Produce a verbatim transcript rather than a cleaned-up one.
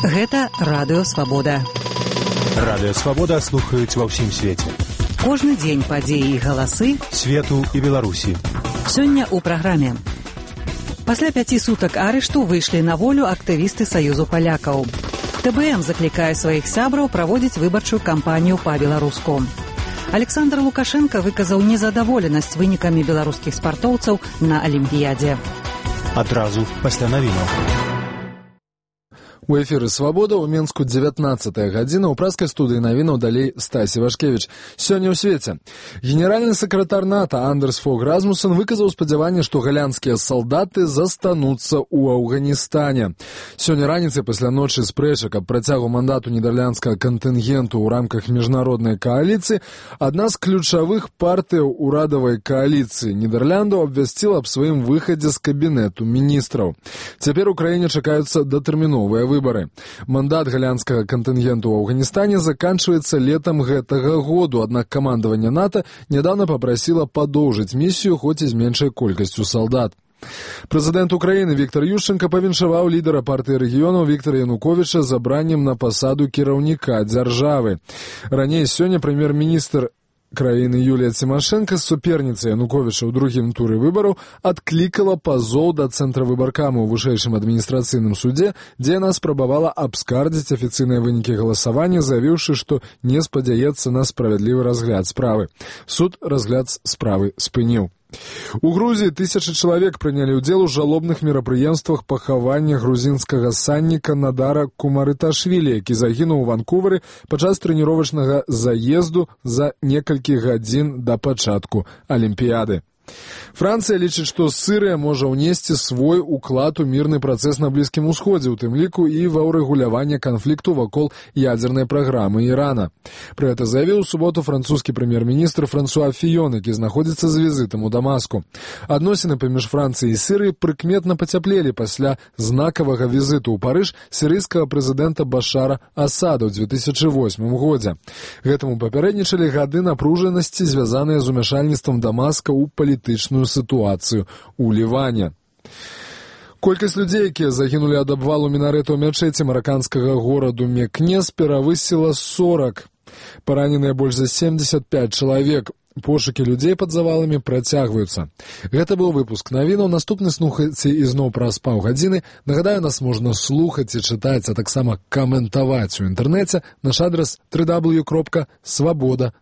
Гэта Радыё Свабода. Радыё Свабода слухаюць ва ўсім свеце. Кожны дзень падзеі і галасы свету і Беларусі. Сёння ў праграме. Пасля пяці сутак арышту выйшлі на волю актывісты Саюзу палякаў. ТБМ заклікае сваіх сябраў праводзіць выбарчую кампанію па-беларуску. Александр Лукашенко выказаў незадаволенасць вынікамі беларускіх спартоўцаў на Алімпіядзе. Адразу пасля навінаў. У эфіры «Свабода» ў Менску дзевятнаццатая гадзіна, ў праскай студыі навінаў далей Стасі Вашкевіч. Сёння ў свеце. Генеральны сакратар НАТО Андерс Фог Расмуссен выказаў спадзяванне, што галандскія салдаты застануцца ў Афганістане. Сёння раніцай пасля ночы спрэчак аб працягу мандату нідерландскага кантынгенту ў рамках міжнароднай кааліцыі адна з ключавых партыяў урадавай кааліцыі Нідерландаў абвясціла аб сваім выхадзе з кабінету міністраў. Цяпер у краіне чакаюцца датэрміновыя выборы. Мандат галандскага кантынгенту ў Афганістане заканчваецца летам гэтага году, аднак камандаванне НАТО нядаўна папрасіла падоўжыць місію, хоць і з меншай колькасцю салдат. Прэзідэнт Украіны Віктор Ющэнка павіншаваў лідара партыі рэгіёнаў Віктара Януковіча забраннем на пасаду кіраўніка дзяржавы. Раней сёння прэм'ер-міністр краіны Юлія Цімашэнка з суперніцай Януковіча ў другім туры выбараў адклікала пазоў да цэнтра выбаркама ў вышэйшым адміністрацыйным судзе, дзе яна спрабавала абскардзіць афіцыйныя вынікі галасавання, заявіўшы, што не спадзяецца на справядлівы разгляд справы. Суд разгляд справы спыніў. У Грузіі тысячы чалавек прынялі ўдзел у жалобных мерапрыемствах пахавання грузінскага санніка Надара Кумарыташвілі, які загінуў у Ванкувары падчас трэніровачнага заезду за некалькі гадзін да пачатку Алімпіяды. Францыя лічыць, што Сірыя можа ўнесці свой уклад у мірны працэс на Блізкім Усходзе, у тым ліку і ва ўрэгуляванне канфлікту вакол ядзернай праграмы Ірана. Пра гэта заявіў у суботу французскі прэм'ер-міністр Франсуа Фіён, які знаходзіцца з візітам у Дамаску. Адносіны паміж Францыяй і Сірыяй прыкметна пацяплелі пасля знакавага візіту ў Парыж сірыйскага прэзідэнта Башара Асада ў дзве тысячы восьмым годзе. Гэтаму папярэднічалі гады напружанасці, звязаныя з умяшальніцтвам Дамаска ў палітычную сітуацыю ў Ліване. Колькасць людзей, якія загінулі ад абвалу мінарэтаў мячэці мараканскага гораду Мекнес, перавысіла сорак. Параненыя больш за семьдесят пять чалавек. Пошукі людзей пад заваламі працягваюцца. Гэта быў выпуск навінаў. Наступны слухайце ізноў праз паўгадзіны. Нагадаю, нас можна слухаць і чытаць, а таксама каментаваць у інтэрнэце. Наш адрас дабл ю дабл ю дабл ю кропка свабода